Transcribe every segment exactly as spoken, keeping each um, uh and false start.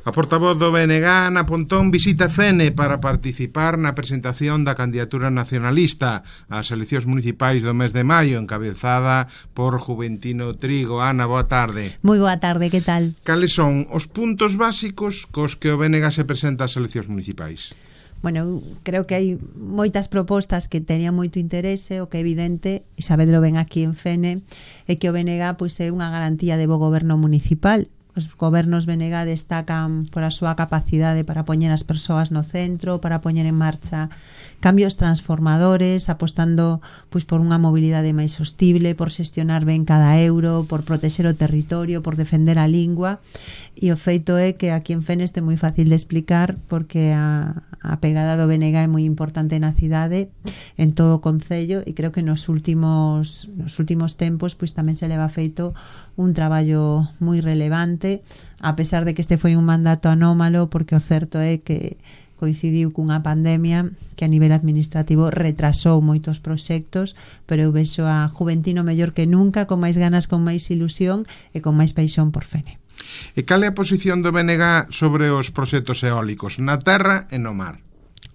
A portavoz do B N G, Ana Pontón, visita Fene para participar na presentación da candidatura nacionalista ás eleccións municipais do mes de maio, encabezada por Juventino Trigo. Ana, boa tarde. Moi boa tarde, que tal? Cales son os puntos básicos cos que o B N G se presenta ás eleccións municipais? Bueno, creo que hai moitas propostas que teñan moito interese. O que é evidente, e sabedlo ben aquí en Fene, é que o B N G pois, é unha garantía de bo goberno municipal. Os gobernos B N G destacan por a súa capacidade para poñer as persoas no centro, para poñer en marcha cambios transformadores, apostando pois por unha mobilidade máis sostible, por xestionar ben cada euro, por protexer o territorio, por defender a lingua. E o feito é que aquí en Fene é moi fácil de explicar, porque a, a pegada do B N G é moi importante na cidade, en todo o concello, e creo que nos últimos nos últimos tempos pois tamén se leva feito un traballo moi relevante, a pesar de que este foi un mandato anómalo, porque o certo é que coincidiu cunha pandemia que a nivel administrativo retrasou moitos proxectos, pero eu vexo a Juventino mellor que nunca, con máis ganas, con máis ilusión e con máis paixón por Fene. E cal é a posición do B N G sobre os proxectos eólicos na terra e no mar?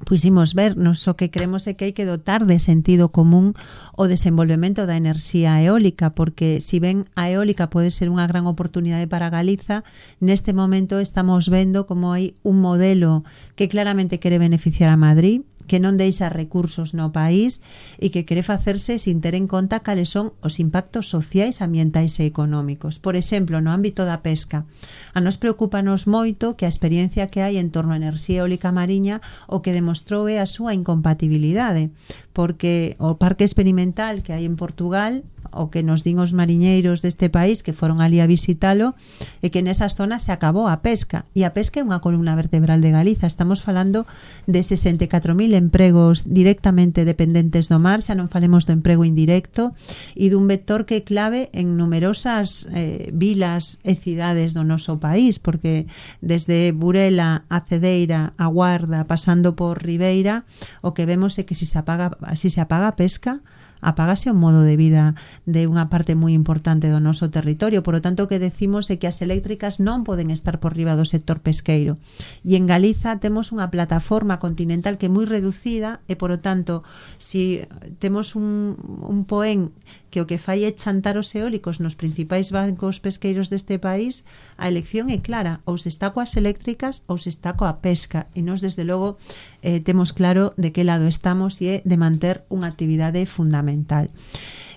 Pois imos ver, nos o que creemos é que hai que dotar de sentido común o desenvolvemento da enerxía eólica, porque si ben a eólica pode ser unha gran oportunidade para Galiza, neste momento estamos vendo como hai un modelo que claramente quere beneficiar a Madrid, que non deixa recursos no país e que quere facerse sin ter en conta cales son os impactos sociais, ambientais e económicos. Por exemplo, no ámbito da pesca, a nos preocupanos moito que a experiencia que hai en torno a enerxía eólica mariña o que demostrou é a súa incompatibilidade, porque o parque experimental que hai en Portugal, o que nos din os mariñeiros deste país que foron ali a visitalo, é que nesas zonas se acabou a pesca, e a pesca é unha columna vertebral de Galiza. Estamos falando de sesenta e catro mil empregos directamente dependentes do mar, xa non falemos do emprego indirecto, e dun vector que é clave en numerosas eh, vilas e cidades do noso país, porque desde Burela a Cedeira, a Guarda, pasando por Ribeira, o que vemos é que se se apaga, se se apaga a pesca, apágase o modo de vida de unha parte moi importante do noso territorio. Por lo tanto, o que decimos é que as eléctricas non poden estar por riba do sector pesqueiro. E en Galiza temos unha plataforma continental que é moi reducida e, por lo tanto, si temos un, un poén que o que fai é chantar os eólicos nos principais bancos pesqueiros deste país, a elección é clara, ou se está coas eléctricas ou se está coa pesca, e nós desde logo eh, temos claro de que lado estamos, e é de manter unha actividade fundamental.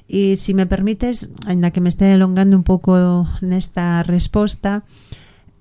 E se me permites, ainda que me este elongando un pouco nesta resposta,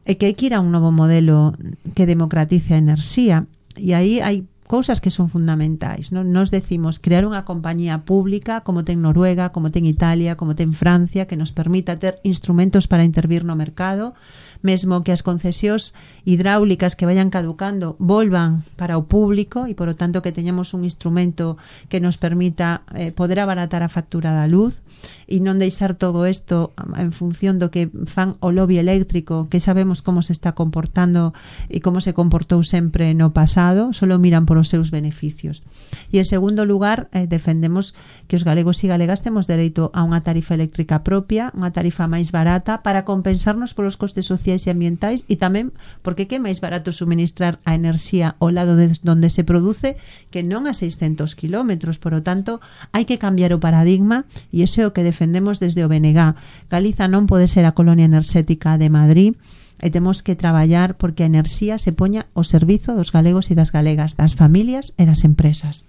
é que hai que ir a un novo modelo que democratice a enerxía, e aí hai cousas que son fundamentais, non? Nos decimos crear unha compañía pública como ten Noruega, como ten Italia, como ten Francia, que nos permita ter instrumentos para intervir no mercado, mesmo que as concesións hidráulicas que vayan caducando volvan para o público, e por lo tanto que teñamos un instrumento que nos permita eh, poder abaratar a factura da luz e non deixar todo isto en función do que fan o lobby eléctrico, que sabemos como se está comportando e como se comportou sempre no pasado, solo miran por os seus beneficios. E en segundo lugar, eh, defendemos que os galegos e galegas temos dereito a unha tarifa eléctrica propia, unha tarifa máis barata para compensarnos polos costes sociais e ambientais, e tamén porque que é máis barato suministrar a enerxía ao lado de onde se produce que non a seiscentos kilómetros. Por lo tanto, hai que cambiar o paradigma, e iso é o que defendemos desde o B N G. Galiza non pode ser a colonia enerxética de Madrid, e temos que traballar porque a enerxía se poña ao servizo dos galegos e das galegas, das familias e das empresas.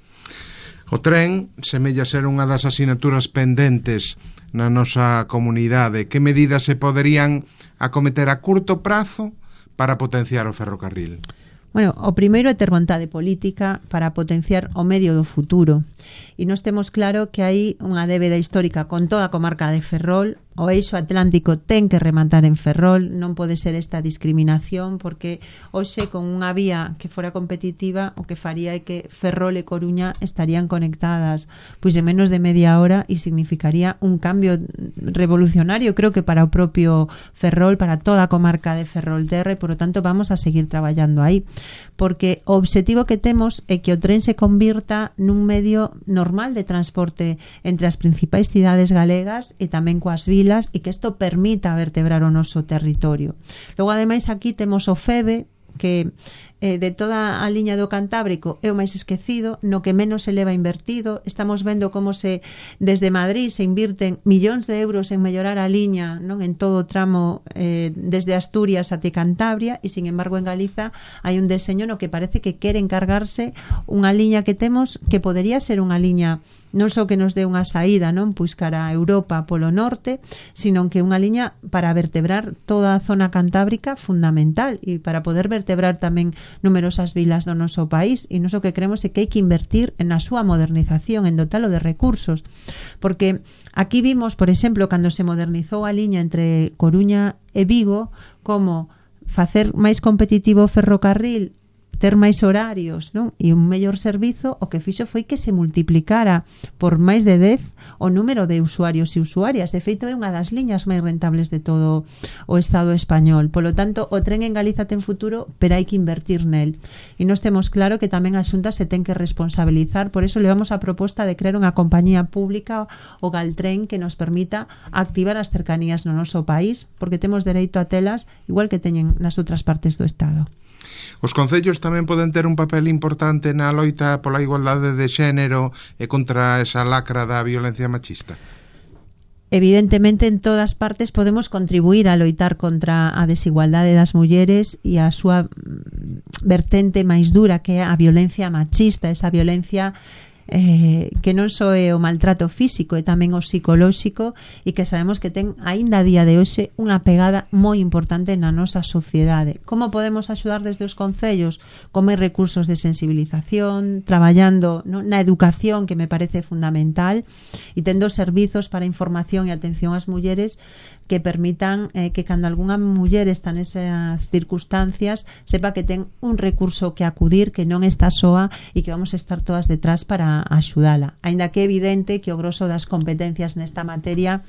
O tren semella ser unha das asignaturas pendentes na nosa comunidade. Que medidas se poderían acometer a curto prazo para potenciar o ferrocarril? Bueno, o primeiro é ter vontade política para potenciar o medio do futuro. E nós temos claro que hai unha débeda histórica con toda a comarca de Ferrol. O eixo atlántico ten que rematar en Ferrol, non pode ser esta discriminación, porque hoxe con unha vía que fora competitiva o que faría é que Ferrol e Coruña estarían conectadas pois en menos de media hora, e significaría un cambio revolucionario, creo que para o propio Ferrol, para toda a comarca de Ferrolterra, e por lo tanto vamos a seguir traballando aí, porque o obxectivo que temos é que o tren se convirta nun medio normal de transporte entre as principais cidades galegas e tamén coas vilas, vilas e que isto permita vertebrar o noso territorio. Logo, ademais, aquí temos o FEBE, que eh, de toda a liña do Cantábrico é o máis esquecido, no que menos se leva invertido. Estamos vendo como se desde Madrid se invirten millóns de euros en mellorar a liña, non, en todo o tramo eh, desde Asturias até Cantabria, e sin embargo en Galiza hai un deseño no que parece que quere encargarse unha liña que temos que podería ser unha liña non só que nos dé unha saída, non, pois cara a Europa polo norte, sino que unha liña para vertebrar toda a zona cantábrica fundamental e para poder vertebrar tamén numerosas vilas do noso país. E noso que creemos é que hai que invertir na súa modernización, en dotalo de recursos, porque aquí vimos, por exemplo, cando se modernizou a liña entre Coruña e Vigo, como facer máis competitivo o ferrocarril, ter máis horarios, non? E un mellor servizo, o que fixo foi que se multiplicara por máis de dez o número de usuarios e usuarias. De feito, é unha das liñas máis rentables de todo o Estado español. Polo tanto, o tren en Galiza ten futuro, pero hai que invertir nel. E nós temos claro que tamén a Xunta se ten que responsabilizar, por eso levamos a proposta de crear unha compañía pública, o Galtren, que nos permita activar as cercanías no noso país, porque temos dereito a telas igual que teñen nas outras partes do Estado. Os concellos tamén poden ter un papel importante na loita pola igualdade de xénero e contra esa lacra da violencia machista? Evidentemente, en todas partes podemos contribuir a loitar contra a desigualdade das mulleres e a súa vertente máis dura, que é a violencia machista, esa violencia Eh, que non só é o maltrato físico, é tamén o psicolóxico, e que sabemos que ten aínda a día de hoxe unha pegada moi importante na nosa sociedade. Como podemos axudar desde os concellos? Con máis recursos de sensibilización, traballando, no, na educación, que me parece fundamental, e tendo servizos para información e atención ás mulleres que permitan eh, que cando algunha muller está nesas circunstancias sepa que ten un recurso que acudir, que non está soa e que vamos a estar todas detrás para axudala. Aínda que é evidente que o grosso das competencias nesta materia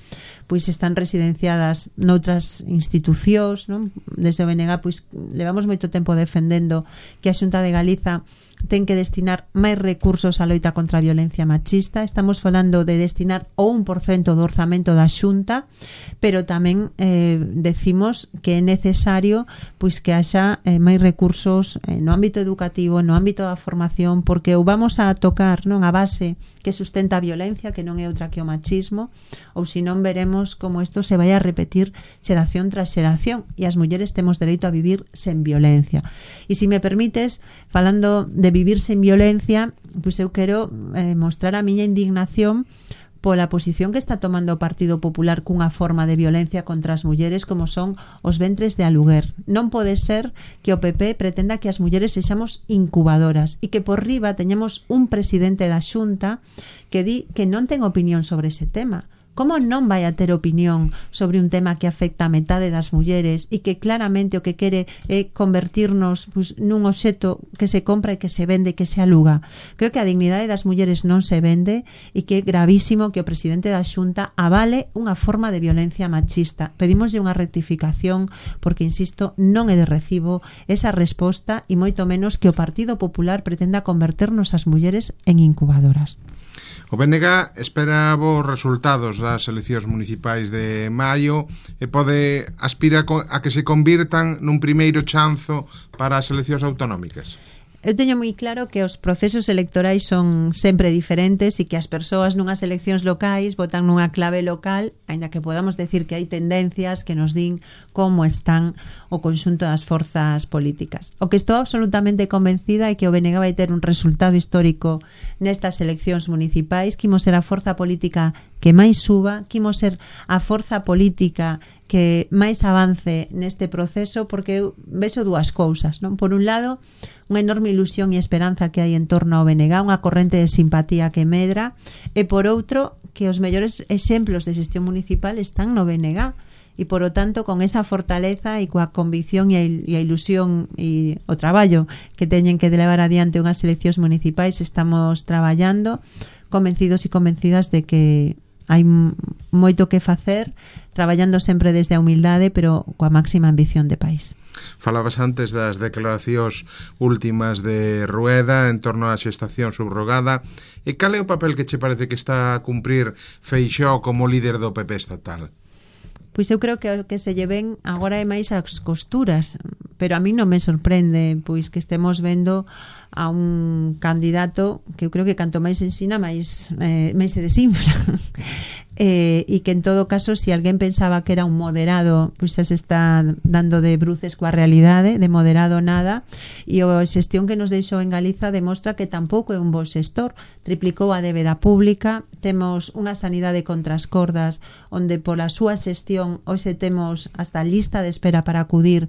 pois están residenciadas noutras institucións, non? Desde o B N G pois levamos moito tempo defendendo que a Xunta de Galiza ten que destinar máis recursos á loita contra a violencia machista. Estamos falando de destinar o un por cento do orzamento da Xunta, pero tamén eh, decimos que é necesario pois que haxa eh, máis recursos eh, no ámbito educativo, no ámbito da formación, porque ou vamos a tocar, non, a base que sustenta a violencia, que non é outra que o machismo, ou se non veremos como isto se vai a repetir xeración tras xeración, e as mulleres temos dereito a vivir sen violencia. E se me permites, falando de vivir sen violencia, pois eu quero eh, mostrar a miña indignación pola posición que está tomando o Partido Popular cunha forma de violencia contra as mulleres como son os ventres de aluguer. Non pode ser que o P P pretenda que as mulleres sexamos incubadoras e que por riba teñamos un presidente da Xunta que di que non ten opinión sobre ese tema. Como non vai a ter opinión sobre un tema que afecta a metade das mulleres e que claramente o que quere é convertirnos pois, nun obxeto que se compra e que se vende e que se aluga? Creo que a dignidade das mulleres non se vende e que é gravísimo que o presidente da Xunta avale unha forma de violencia machista. Pedimoslle unha rectificación porque, insisto, non é de recibo esa resposta e moito menos que o Partido Popular pretenda converternos as mulleres en incubadoras. O B N G espera vos resultados das eleccións municipais de maio e pode aspirar a que se convirtan nun primeiro chanzo para as eleccións autonómicas. Eu teño moi claro que os procesos electorais son sempre diferentes e que as persoas nunhas eleccións locais votan nunha clave local, aínda que podamos decir que hai tendencias que nos din como están o conxunto das forzas políticas. O que estou absolutamente convencida é que o B N G vai ter un resultado histórico nestas eleccións municipais, que imos ser a forza política que máis suba, que imos ser a forza política que máis avance neste proceso, porque eu vexo dúas cousas, non? Por un lado, unha enorme ilusión e esperanza que hai en torno ao B N G, unha corrente de simpatía que medra, e por outro, que os mellores exemplos de xestión municipal están no B N G, e por o tanto, con esa fortaleza e coa convicción e a, e a ilusión e o traballo que teñen que levar adiante unhas eleccións municipais, estamos traballando convencidos e convencidas de que hai moito que facer, traballando sempre desde a humildade, pero coa máxima ambición de país. Falabas antes das declaracións últimas de Rueda en torno á xestación subrogada. E cal é o papel que che parece que está a cumprir Feixóo como líder do P P estatal? Pois eu creo que o que se lleven agora é máis as costuras, pero a mí non me sorprende pois que estemos vendo a un candidato que eu creo que canto máis ensina máis, eh, máis se desinfla. eh, e que en todo caso, se si alguén pensaba que era un moderado, pois xa se está dando de bruces coa realidade, de moderado nada, e a xestión que nos deixou en Galiza demostra que tampouco é un bo xestor. Triplicou a débeda pública, temos unha sanidade contra as cordas, onde pola súa xestión hoxe temos hasta lista de espera para acudir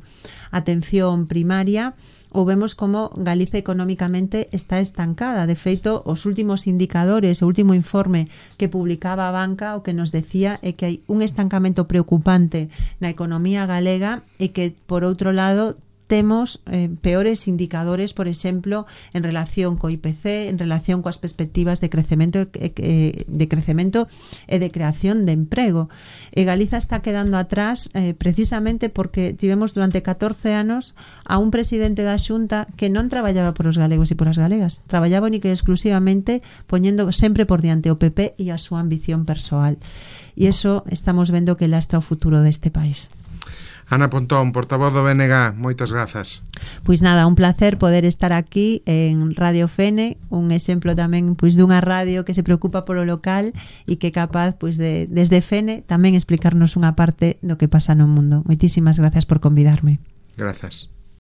a atención primaria, ou vemos como Galiza económicamente está estancada. De feito, os últimos indicadores, o último informe que publicaba a banca, o que nos decía é que hai un estancamento preocupante na economía galega e que, por outro lado, temos eh, peores indicadores, por exemplo, en relación co I P C, en relación coas perspectivas de crecemento eh, de crecemento e de creación de emprego. E Galiza está quedando atrás eh, precisamente porque tivemos durante catorce anos a un presidente da Xunta que non traballaba por os galegos e por as galegas, traballaba única e exclusivamente poñendo sempre por diante o P P e a súa ambición persoal. E iso estamos vendo que lastra o futuro deste país. Ana Pontón, portavoz do B N G, moitas grazas. Pois nada, un placer poder estar aquí en Radio Fene, un exemplo tamén pois dunha radio que se preocupa polo local e que é capaz pois de desde Fene tamén explicarnos unha parte do que pasa no mundo. Moitísimas grazas por convidarme. Grazas.